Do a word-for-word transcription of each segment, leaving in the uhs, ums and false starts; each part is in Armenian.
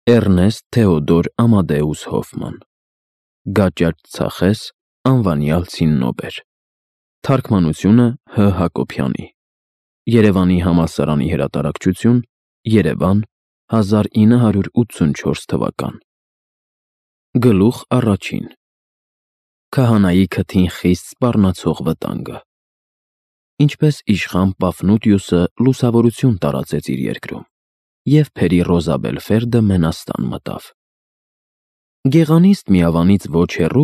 Էռնեստ Թեոդոր Ամադեուս Հոֆման Գաճաճ ծախես անվանյալ ցիննոբեր Թարգմանությունը Հ. Հակոբյանի Երևանի համալսարանի հրատարակչություն Երևան հազար ինը հարյուր ութսունչորս թվական Գլուխ առաջին Քահանայի քթին խիստ սպառնացող վտանգը Ինչպես իշխան Պաֆնուտիուսը լուսավորություն տարածեց իր երկրում, և Փերի Ռոզաբելֆերդը մենաստան մտավ։ Գեղանիստ միավանից ոչ հեռու,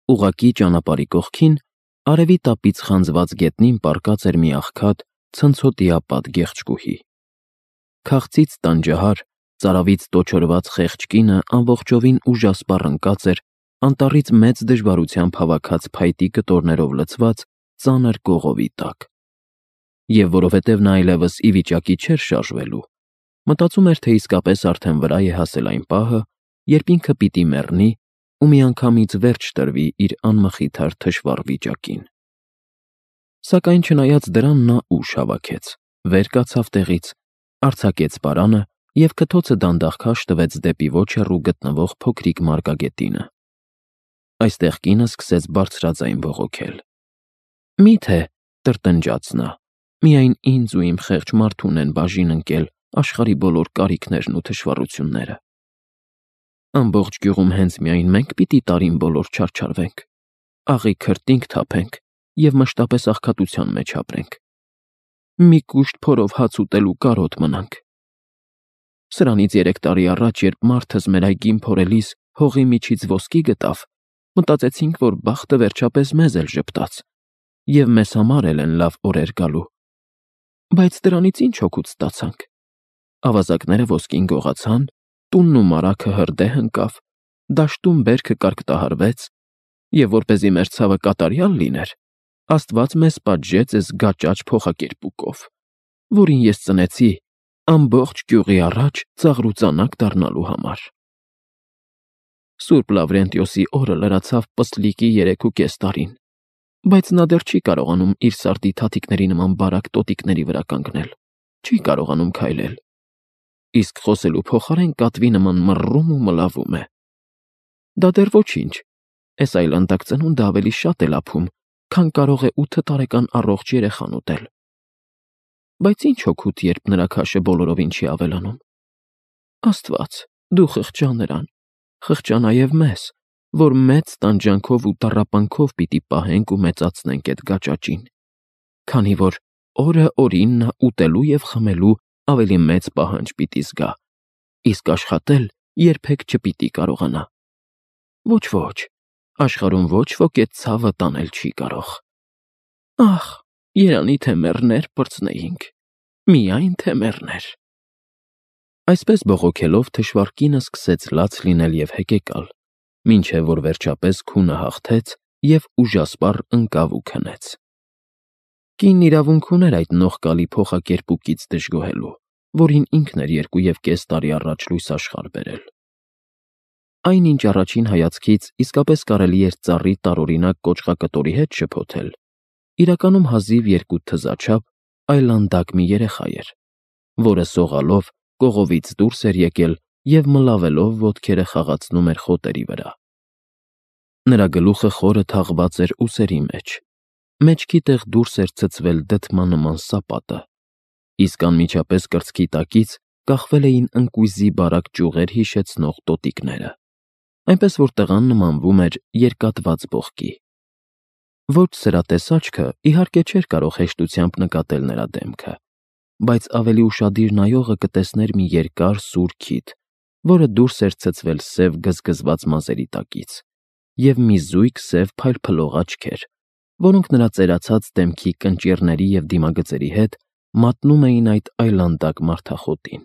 ուղղակի ճանապարհի կողքին, արևի տապից խանձված գետնին պառկած էր մի աղքատ, ցնցոտիապատ գեղեցկուհի։ Քաղցից տանջահար, ծարավից տոչորված խեղճ կինը ամբողջովին ուժասպառ ընկած էր անտառից մեծ դժվարությամբ հավաքած փայտի կտորներով լցված ծանր կողովի տակ։ Եվ որովհետև նա այլևս ի վիճակի չէր շարժվելու, մտածում էր, թե իսկապես արդեն վրա է հասել այն պահը, երբ ինքը պիտի մեռնի ու միանգամից վերջ տրվի իր անմխիթար թշվառ վիճակին։ Սակայն չնայած դրան նա ուժ հավաքեց, վեր կացավ տեղից, արձակեց պարանը և քթոցը դանդաղ քաշ տվեց դեպի ոչ հեռու գտնվող փոքրիկ մարգագետինը։ Այստեղ կինը սկսեց բարձրաձայն բողոքել։ Մի՞թե, տրտնջաց նա, միայն ինձ ու իմ խեղճ մարդուն են բաժին ընկել աշխարհի բոլոր կարիքներն ու թշվառությունները։ Ամբողջ գյուղում հենց միայն մենք պիտի տարին բոլոր չարչարվենք, աղի քրտինք թափենք և մշտապես աղքատության մեջ ապրենք։ Մի կուշտ փորով հաց ուտելու կարոտ մնանք։ Սրանից երեք տարի առաջ, երբ մարդս մեր այգին փորելիս հողի միջից ոսկի գտավ, մտածեցինք, որ բախտը վերջապես մեզ էլ ժպտաց, և մեզ համար էլ են լավ օրեր գալու։ Բայց դրանից ինչ օգուտ ստացանք։ Ավազակները ոսկին գողացան, տունն ու մարագը հրդեհ ընկավ, դաշտում բերքը կարկտահարվեց, և որպեսզի մեր ցավը կատարյալ լիներ, Աստված մեզ պատժեց էս գաճաճ փոխակերպուկով, որին ես ծնեցի ամբողջ գյուղի առաջ ծաղրուծանակ դառնալու համար։ Սուրբ Լավրենտիոսի օրը լրացավ պսլիկի երեքուկես տարին, բայց նա դեռ չի կարողանում իր սարդի թաթիկների նման բարակ տոտիկների վրա կանգնել, չի կարողանում քայլել, իսկ խոսելու փոխարեն կատվի նման մռռում ու մլավում է։ Դա դեռ ոչինչ, էս այլանդակ ծնունդը ավելի շատ է լափում, քան կարող է ութ տարեկան առողջ երեխան ուտել։ Բայց ինչ օգուտ, երբ նրա քաշը բոլորովին չի ավելանում։ Աստված, դու խղճա նրան, խղճա նաև մեզ, որ մեծ տանջանքով ու տառապանքով պիտի պահենք ու մեծացնենք էդ գաճաճին, քանի որ օրը օրին նա ուտելու և խմելու ավելի մեծ պահանջ պիտի զգա, իսկ աշխատել երբեք չպիտի կարողանա։ Ոչ, աշխարհում ոչ ոք էդ ցավը տանել չի կարող։ Ախ, երանի թե մեռներ պրծնեինք, միայն թե մեռներ։ Այսպես բողոքելով թշվառ կինը սկսեց լաց լինել և հեկեկալ, մինչև որ վերջապես քունը հաղթեց և ուժասպառ ընկավ ու քնեց։ Կինն իրավունք ուներ այդ նողկալի փոխակերպուկից դժգոհելու, որին ինքն էր երկու և կես տարի առաջ լույս աշխարհ բերել։ Այն, ինչ առաջին հայացքից իսկապես կարելի էր ծառի տարօրինակ կոճղակտորի հետ շփոթել, իրականում հազիվ երկու թզաչափ այլանդակ մի երեխա էր, որը սողալով կողովից դուրս էր եկել և մլավելով ոտքերը խաղացնում էր խոտերի վրա։ Նրա գլուխը խորը թաղված էր ուսերի մեջ, մեջքի տեղ դուրս էր ցցվել դդմա նման սապատը, իսկ անմիջապես կրծքի տակից կախվել էին ընկույզի բարակ ճյուղեր հիշեցնող տոտիկները, այնպես որ տղան նմանվում էր երկատված բողկի։ Ոչ սրատես աչքը, իհարկե, չէր կարող հեշտությամբ նկատել նրա դեմքը, բայց ավելի ուշադիր նայողը կտեսներ մի երկար սուր քիթ, որը դուրս էր ցցվել սև գզգզված մազերի տակից, և մի զույգ սև փայլփլող աչքեր, որոնք նրա ծերացած դեմքի կնճիռների և դիմագծերի հետ մատնում էին այդ այլանդակ մարդախոտին։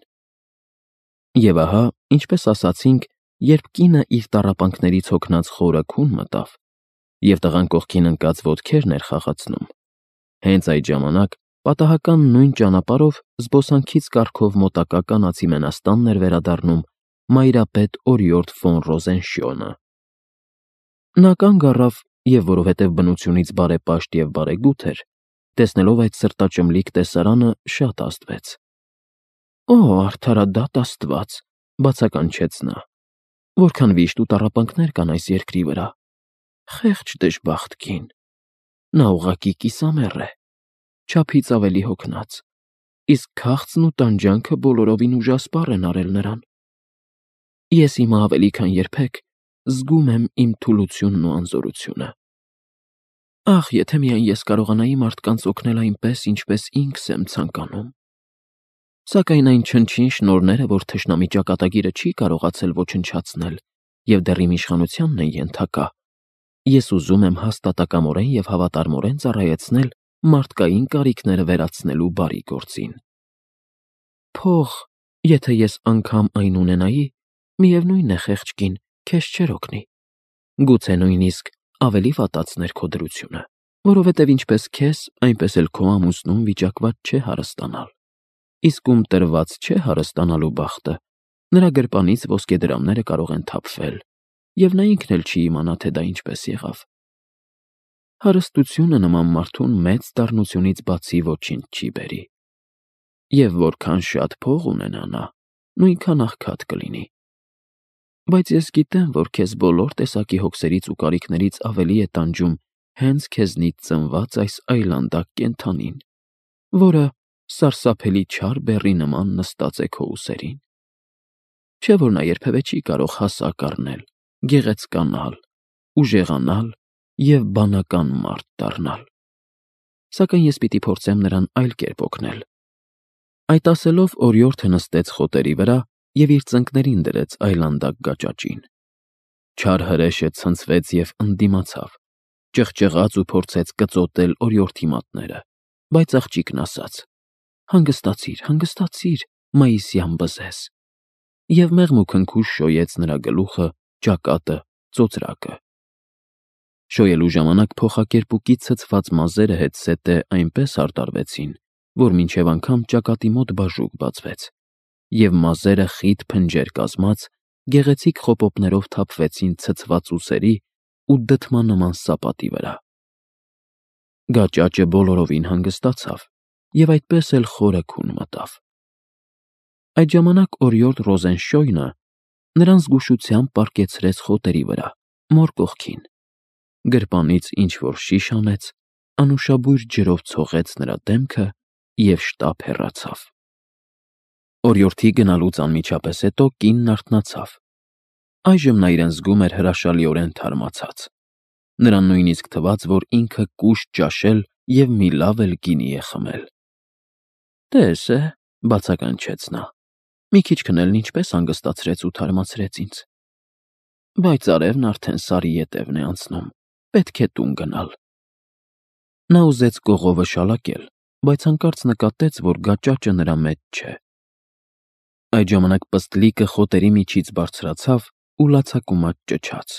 Եվ ահա, ինչպես ասացինք, երբ կինը իր տառապանքներից հոգնած խորը քուն մտավ, և տղան կողքին ընկած ոտքերն էր խաղացնում, հենց այդ ժամանակ պատահական նույն ճանապարհով զբոսանքից կառքով մոտակա կանացի մենաստանն էր վերադառնում մայրապետ Օրիորդ ֆոն Ռոզենշյոնը։ Նա կանգ առավ և, որովհետև բնությունից բարեպաշտ և բարեգութ էր, տեսնելով այդ սրտաճմլիկ տեսարանը, շատ ազդվեց։ Օ, արդարադատ Աստված, Բացականչեց նա. Որքան վիշտ ու տառապանքներ կան այս երկրի վրա։ Խեղճ դժբախտ կին։ Նա ուղղակի կիսամեռ է, չափից ավելի հոգնած, իսկ քաղցն ու տանջանքը բոլորովին ուժասպառ են արել նրան։ Ես հիմա ավելի քան երբեք զգում եմ իմ թուլությունն ու անզորությունը։ Ախ, եթե միայն ես կարողանայի մարդկանց օգնել այնպես, ինչպես ինքս եմ ցանկանում։ Սակայն այն չնչին շնորհները, որ թշնամի ճակատագիրը չի կարողացել ոչնչացնել և դեռ իմ իշխանությանն են ենթակա, ես ուզում եմ հաստատակամորեն և հավատարմորեն ծառայեցնել մարդկային կարիքները վերացնելու բարի գործին։ Փող, եթե ես անգամ այն ունենայի, միևնույն է, խեղճ կին, քեզ չէր օգնի։ Գուցե նույնիսկ ավելի վատացներ քո դրությունը, որովհետև ինչպես քեզ, այնպես էլ քո ամուսնուն վիճակված չէ հարստանալ։ Իսկ ում տրված չէ հարստանալու բախտը, նրա գրպանից ոսկեդրամները կարող են թափվել, և նա ինքն էլ չի իմանա, թե դա ինչպես եղավ։ Հարստությունը նման մարդուն մեծ դառնությունից բացի ոչինչ չի բերի։ Եվ որքան շատ փող ունենա նա, նույնքան աղքատ կլինի։ Բայց ես գիտեմ, որ քեզ բոլոր տեսակի հոգսերից ու կարիքներից ավելի է տանջում հենց քեզնից ծնված այս այլանդակ կենդանին, որը սարսափելի չար բեռի նման նստած է քո ուսերին։ Չէ՞ որ նա երբևէ չի կարող հասակ առնել, գեղեցկանալ, ուժեղանալ և բանական մարդ դառնալ։ Սակայն ես պիտի փորձեմ նրան այլ կերպ օգնել։ Այդ ասելով օրիորդը նստեց խոտերի վրա և իր ծնկներին դրեց այլանդակ գաճաճին։ Չար հրեշը ցնցվեց և ընդդիմացավ, ճղճղաց ու փորձեց կծոտել օրիորդի մատները, բայց աղջիկն ասաց. «Հանգստացիր, հանգստացիր, մայիսյան բզեզ», և մեղմուքնքուշ շոյեց նրա գլուխը, ճակատը, ծոծրակը։ Շոյելու ժամանակ փոխակերպուկի ցցված մազերը հետզհետե այնպես հարդարվեցին, որ մինչև անգամ ճակատի մոտ բաժուկ բացվեց, և մազերը խիտ փնջեր կազմած գեղեցիկ խոպոպներով թափվեցին ցցված ուսերի ու դդմանման սապատի վրա։ Գաճաճը բոլորովին հանգստացավ և այդպես էլ խորը քուն մտավ։ Այդ ժամանակ օրիորդ Ռոզենշոյնը նրան զգուշությամբ պառկեցրեց խոտերի վրա, մոր կողքին, գրպանից ինչ-որ շիշ հանեց, անուշաբույր ջրով ցողեց նրա դեմքը և շտապ հեռացավ։ Օրիորդի գնալուց անմիջապես հետո կինն արթնացավ։ Այժմ նա իրեն զգում էր հրաշալիորեն թարմացած։ Նրան նույնիսկ թվաց, որ ինքը կուշտ ճաշել և մի լավ էլ գինի է խմել։ «Տես է», բացականչեց նա, «մի քիչ քնելն ինչպես հանգստացրեց ու թարմացրեց ինձ։ Բայց արևն արդեն սարի ետևն է անցնում, պետք է տուն գնալ»։ Նա ուզեց կողովը շալակել, բայց հանկարծ նկատեց, որ գաճաճը նրա մեջ չէ։ Այդ ժամանակ պստլիկը խոտերի միջից բարձրացավ ու լացակումած ճչաց։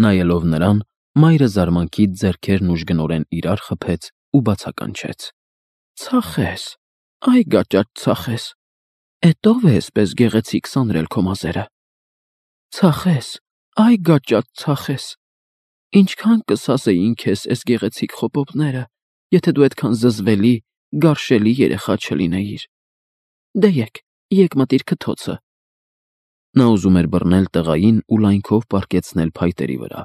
Նայելով նրան, մայրը զարմանքից ձեռքերն ուժգնորեն իրար խփեց ու բացականչեց. «Ցախես, այ գաճաճ ցախես, էդ ո՞վ է էսպես գեղեցիկ սանրել քո մազերը։ Ցախես, այ գաճաճ ցախես, ինչքան կսազեին քեզ էս գեղեցիկ խոպոպները, եթե դու այդքան զզվելի, գարշելի երեխա չլինեիր։ Դե եկ, եկ մտիր քթոցը»։ Նա ուզում էր բռնել տղային ու լայնքով պառկեցնել փայտերի վրա,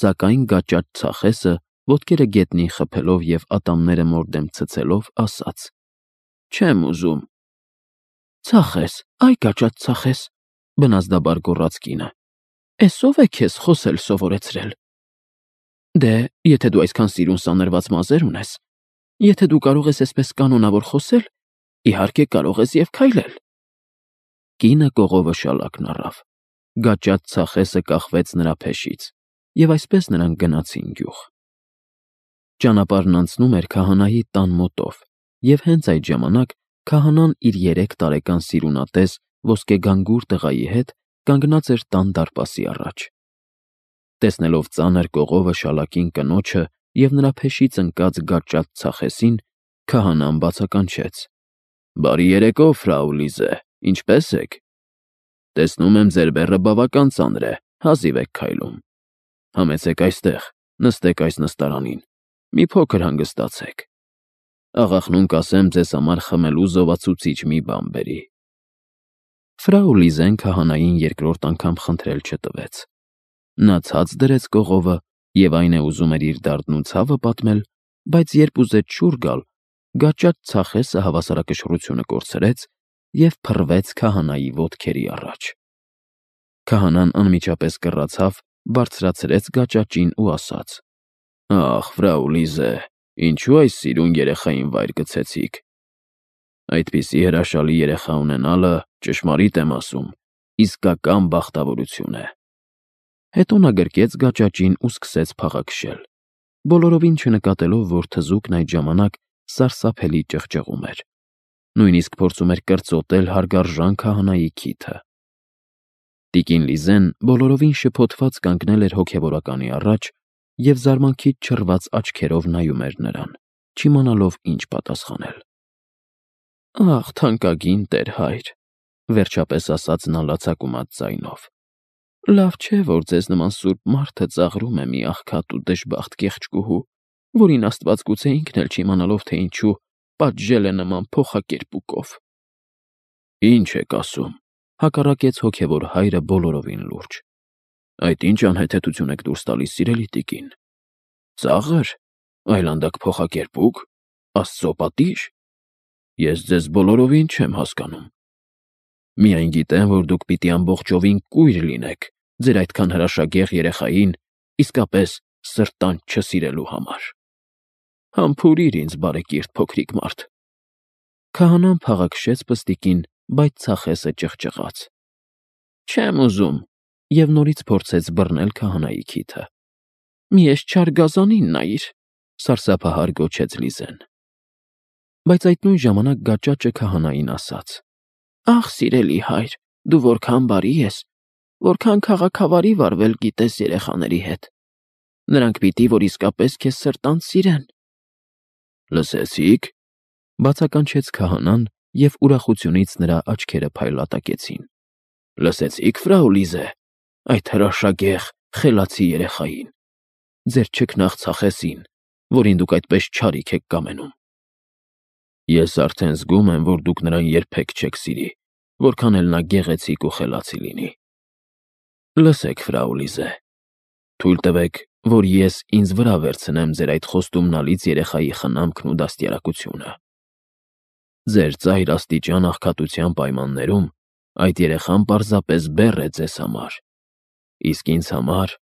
սակայն գաճաճ ցախեսը, ոտքերը գետնին խփելով և ատամները մորդեմ ցցելով, ասաց. «Չեմ ուզում»։ «Ցախես, այ գաճաճ ցախես», բնազդաբար գոռաց կինը, «էս ո՞վ է քեզ խոսել սովորեցրել։ Դե, եթե դու այսքան սիրուն սանրված մազեր ունես, եթե դու կարող ես այսպես կանոնավոր խոսել, իհարկե կարող ես և քայլել»։ Կինը կողովը շալակն առավ, գաճաճ ցախեսը կախվեց նրա փեշից, և այսպես նրանք գնացին գյուղ։ Ճանապարհն անցնում էր քահանայի տան մոտով, և հենց այդ ժամանակ քահանան իր երեք տարեկան սիրունատես ոսկեգանգուր տղայի հետ կանգնած էր տան դարպասի առաջ։ Տեսնելով ծանր կողովը շալակին կնոջը և նրա փեշից ընկած գաճաճ ցախեսին, քահանան բացականչեց. «Բարի երեկո, ֆրау Լիզե, ինչպե՞ս եք։ Տեսնում եմ, ձեր բեռը բավական ծանր է, հազիվ եք քայլում։ Համեցեք այստեղ, նստեք այս նստարանին, մի փոքր հանգստացեք։ Աղախնուն կասեմ ձեզ համար խմելու զովացուցիչ մի բան բերի»։ Ֆրաու Լիզեն քահանային երկրորդ անգամ խնդրել չտվեց։ Նա ցած դրեց կողովը և այն է ուզում էր իր դարդն ու ցավը պատմել, բայց երբ ուզեց շուռ գալ, գաճաճ ծախեսը հավասարակշռությունը կորցրեց և փռվեց քահանայի ոտքերի առաջ։ Քահանան անմիջապես կռացավ, բարձրացրեց գաճաճին ու ասաց. «Ախ, ֆրաու Լիզե, ինչու այս սիրուն երեխային վայր գցեցիք։ Այդպիսի հրաշալի երեխա ունենալը, ճշմարիտ եմ ասում, իսկական բախտավորություն է»։ Հետո նա գրկեց գաճաճին ու սկսեց փաղաքշել, բոլորովին չնկատելով, որ թզուկն այդ ժամանակ սարսափելի ճղճղում էր, նույնիսկ փորձում էր կրծոտել հարգարժան քահանայի քիթը։ Տիկին Լիզեն բոլորովին շփոթված կանգնել էր հոգևորականի առաջ և զարմանքից չռված աչքերով նայում էր նրան, չիմանալով ինչ պատասխանել։ «Ախ, թանկագին տեր-հայր», վերջապես ասաց նա լացակումած ձայնով, «լավ չէ, որ ձեզ նման սուրբ մարդը ծաղրում է մի աղքատ ու դժբախտ կեղճկուհու, որին Աստված գուցե ինքն էլ չիմանալով, թե ինչու, պատժել է նման փոխակերպուկով»։ «Ինչ եք ասում», հակառակեց հոգևոր հայրը բոլորովին լուրջ։ «Այդ ինչ անհեթեթություն եք դուրս տալիս, սիրելի տիկին։ Ծա՞ղր, այլանդակ փոխակերպուկ, Աստծո պատի՞ժ։ Ես ձեզ բոլորովին չեմ հասկանում։ Միայն գիտեմ, որ դուք պիտի ամբողջովին կույր լինեք ձեր այդքան հրաշագեղ երեխային իսկապես սրտանց չսիրելու համար։ Համբուրիր ինձ, բարեկիրթ փոքրիկ մարդ»։ Քահանան փաղաքշեց պստիկին, բայց ծախեսը ճղճղաց։ «Չեմ ուզում» և նորից փորձեց բռնել քահանայի քիթը։ «Մի էս չար գազանին նայիր», սարսափահար գոչեց Լիզեն։ Բայց այդ նույն ժամանակ գաճաճը քահանային ասաց. «Ախ, սիրելի հայր, դու որքան բարի ես, որքան քաղաքավարի վարվել գիտես երեխաների հետ։ Նրանք պիտի որ իսկապես քեզ սրտանց սիրեն»։ «Լսեցի՞ք», բացականչեց քահանան, և ուրախությունից նրա աչքերը փայլատակեցին։ «Լսեցի՞ք, ֆրաու Լիզե, այդ հրաշագեղ, խելացի երեխային, ձեր չքնաղ ծախեսին, որին դուք այդպես չարիք եք կամենում։ Ես արդեն զգում եմ, որ դուք նրան երբեք չեք սիրի, որքան էլ նա գեղեցիկ ու խելացի լինի։ Լսեք, ֆրաու Լիզե, թույլ տվեք, որ ես ինձ վրա վերցնեմ ձեր այդ խոստումնալից երեխայի խնամքն ու դաստիարակությունը։ Ձեր ծայր աստիճան աղքատության պայմաններում այդ երեխան պարզապես բեռ է ձեզ համար, իսկ ինձ համար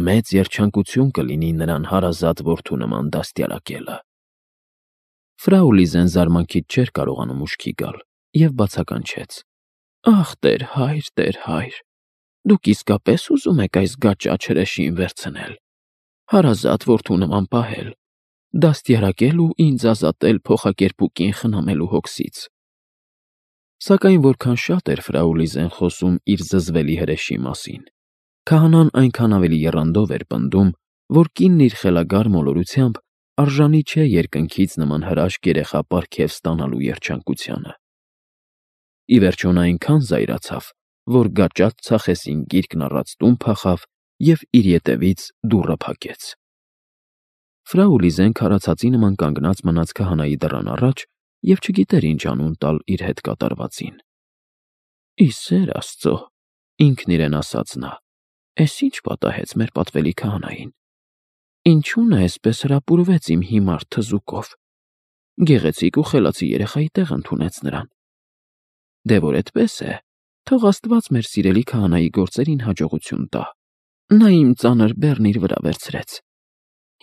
մեծ երջանկություն կլինի նրան հարազատ որդու նման դաստիարակելը»։ Ֆրաու Լիզեն զարմանքից չէր կարողանում ուշքի գալ և բացականչեց. «Ախ, տեր-հայր, տեր-հայր, դուք իսկապես ուզում եք այս գաճաճ հրեշին վերցնել, հարազատ որդու նման պահել, դաստիարակել ու ինձ ազատել փոխակերպուկին խնամելու հոգսից»։ Սակայն որքան շատ էր ֆրաու Լիզեն խոսում իր զզվելի հրեշի մասին, քահանան այնքան ավելի եռանդով էր պնդում, որ կինն իր խելագար մոլորությամբ արժանի չէ երկնքից նման հրաշք երեխա պարգև ստանալու երջանկությանը։ Ի վերջո նա այնքան զայրացավ, որ գաճաճ ծախեսին գիրկն առած տուն փախավ և իր ետևից դուռը փակեց։ Ֆրաու Լիզեն քարացածի նման կանգնած մնաց քահանայի դռան առաջ և չգիտեր ինչ անուն տալ իր հետ կատարվածին։ «Ի սեր Աստծո», ինքն իրեն ասաց նա, «էս ինչ պատահեց մեր պատվելի քահանային։ Ինչու նա էսպես հրապուրվեց իմ հիմար թզուկով, գեղեցիկ ու խելացի երեխայի տեղ ընդունեց նրան։ Դե որ էդպես է, թող Աստված մեր սիրելի քահանայի գործերին հաջողություն տա։ Նա իմ ծանր բեռն իր վրա վերցրեց։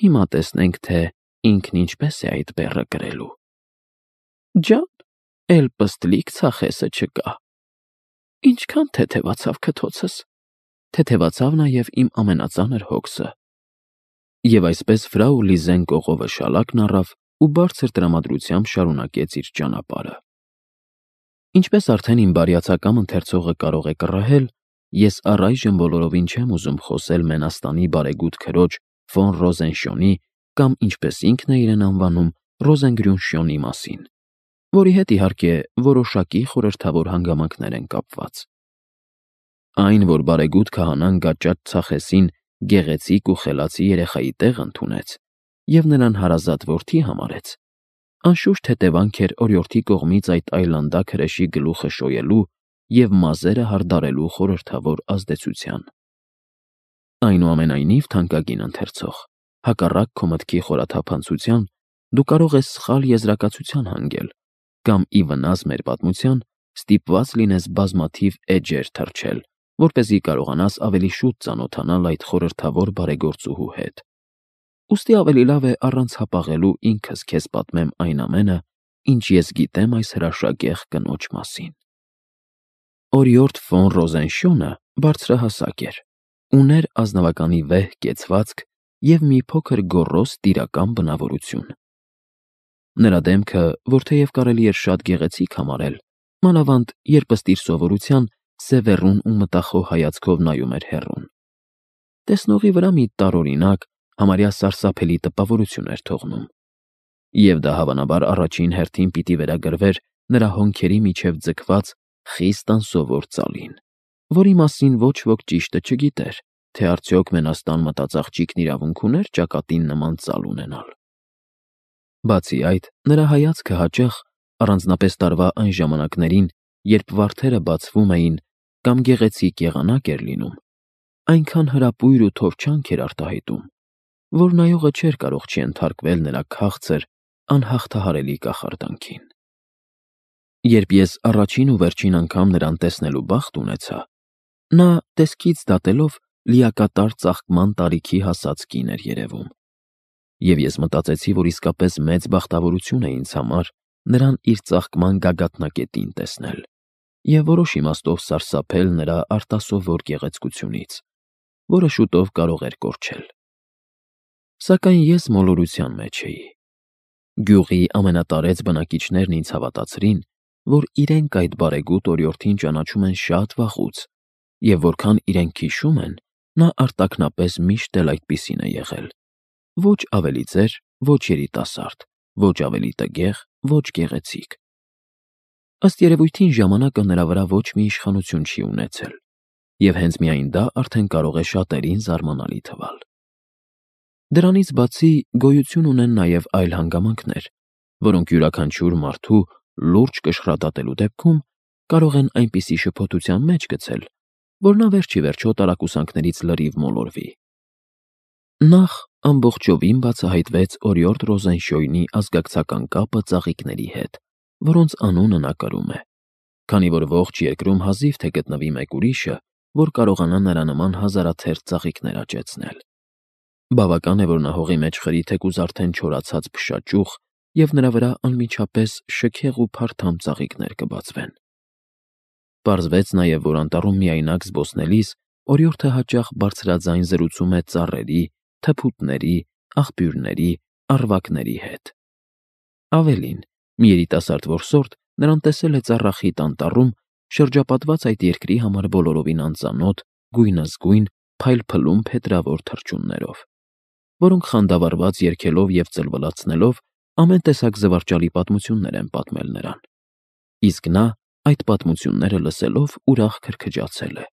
Հիմա տեսնենք, թե ինքն ինչպես է այդ բեռը կրելու։ Ջան, էլ պստլիկ ծախեսը չկա։ Ինչքան թեթևացավ քթոցս, թեթևացավ նաև իմ ամենածանր հոգսը»։ Եվ այսպես ֆրաու Լիզեն կողովը շալակն առավ ու բարձր տրամադրությամբ շարունակեց իր ճանապարհը։ Ինչպես արդեն իմ բարյացակամ ընթերցողը կարող է կռահել, ես առայժմ բոլորովին չեմ ուզում խոսել Մենաստանի բարեգութ քրոջ ֆոն Ռոզենշյոնի կամ ինչպես ինքն է իրեն անվանում Ռոզենգրյունշյոնի մասին, որի հետ իհարկե որոշակի խորհրդավոր հանգամանքներ են կապված։ Այն, որ բարեգութ քահանան գաճաճ ծախեսին գեղեցիկ ու խելացի երեխայի տեղ ընդունեց և նրան հարազատ որդի համարեց, անշուշտ հետևանք էր օրիորդի կողմից այդ այլանդակ հրեշի գլուխը շոյելու և մազերը հարդարելու խորհրդավոր ազդեցության։ Այնուամենայնիվ, թանկագին ընթերցող, հակառակ քո մտքի խորաթափանցության, դու կարող ես սխալ եզրակացության հանգել կամ ի վնաս մեր պատմության ստիպված լինես բազմաթիվ էջեր թռչել, որպեսզի կարողանաս ավելի շուտ ծանոթանալ այդ խորհրդավոր բարեգործուհու հետ։ Ուստի ավելի լավ է առանց հապաղելու ինքս քեզ պատմեմ այն ամենը, ինչ ես գիտեմ այս հրաշագեղ կնոջ մասին։ Օրիորդ ֆոն Ռոզենշյունը բարձրահասակ էր, ուներ ազնվականի վեհ կեցվածք և մի փոքր գոռոզ տիրական բնավորություն։ Նրա դեմքը, որ թեև կարելի էր շատ գեղեցիկ համարել, մանավանդ երբ ըստ իր սովորության սևեռուն ու մտախոհ հայացքով նայում էր հեռուն, տեսնողի վրա մի տարօրինակ, համարյա սարսափելի տպավորություն էր թողնում, և դա հավանաբար առաջին հերթին պիտի վերագրվեր նրա հոնքերի միջև ձգված խիստ անսովոր ծալին, որի մասին ոչ ոք ճիշտը չգիտեր, թե արդյոք մենաստան մտած աղջիկն իրավունք ուներ ճակատին նման ծալ ունենալ։ Բացի այդ, նրա հայացքը հաճախ, առանձնապես տարվա այն ժամանակներին, երբ վարդերը բացվում էին կամ գեղեցիկ եղանակ էր լինում, այնքան հրապույր ու թովչանք էր արտահայտում, որ նայողը չէր կարող չենթարկվել նրա քաղցր, անհաղթահարելի կախարդանքին։ Երբ ես առաջին ու վերջին անգամ նրան տեսնելու բախտ ունեցա, նա, տեսքից դատելով, լիակատար ծաղկման տարիքի հասած կին էր երևում, և ես մտածեցի, որ իսկապես մեծ բախտավորություն է ինձ համար նրան իր ծաղկման գագաթնակետին տեսնել և որոշ իմաստով սարսափել նրա արտասովոր գեղեցկությունից, որը շուտով կարող էր կորչել։ Սակայն ես մոլորության մեջ էի։ Գյուղի ամենատարեց բնակիչներն ինձ հավատացրին, որ իրենք այդ բարեգութ օրիորդին ճանաչում են շատ վաղուց, և որքան իրենք հիշում են, նա արտաքնապես միշտ էլ այդպիսին է եղել, ոչ ավելի ծեր, ոչ երիտասարդ, ոչ ավելի տգեղ, ոչ գեղեցիկ։ Ըստ երևույթին ժամանակը նրա վրա ոչ մի իշխանություն չի ունեցել, և հենց միայն դա արդեն կարող է շատերին զարմանալի թվալ։ Դրանից բացի գոյություն ունեն նաև այլ հանգամանքներ, որոնք յուրաքանչյուր մարդու լուրջ կշռադատելու դեպքում կարող են այնպիսի շփոթության մեջ գցել, որ նա վերջ ի վերջո տարակուսանքներից լրիվ մոլորվի։ Նախ ամբողջովին բացահայտվեց օրիորդ Ռոզենշյույնի ազգակցական կապը ծաղիկների հետ, որոնց անունը նա կրում է, քանի որ ողջ երկրում հազիվ թե գտնվի մեկ ուրիշը, որ կարողանա նրա նման հազարաթերթ ծաղիկներ աճեցնել։ Բավական է, որ նա հողի մեջ խրի թեկուզ արդեն չորացած փշաճուղ, և նրա վրա անմիջապես շքեղ ու փարթամ ծաղիկներ կբացվեն։ Պարզվեց նաև, որ անտառում միայնակ զբոսնելիս օրիորդը հաճախ բարձրաձայն զրուցում է ծառերի, թփուտների, աղբյուրների, առվակների հետ։ Ավելին, մի երիտասարդ որսորդ նրան տեսել է ծառախիտ անտառում, շրջապատված այդ երկրի համար բոլորովին անծանոթ, գույնզգույն, փայլփլում փետրավոր թռչուններով, որոնք խանդավառված երգելով և ծլվլացնելով ամեն տեսակ զվարճալի պատմություններ են պատմել նրան, իսկ նա այդ պատմությունները լսելով ուրախ քրքջացել է։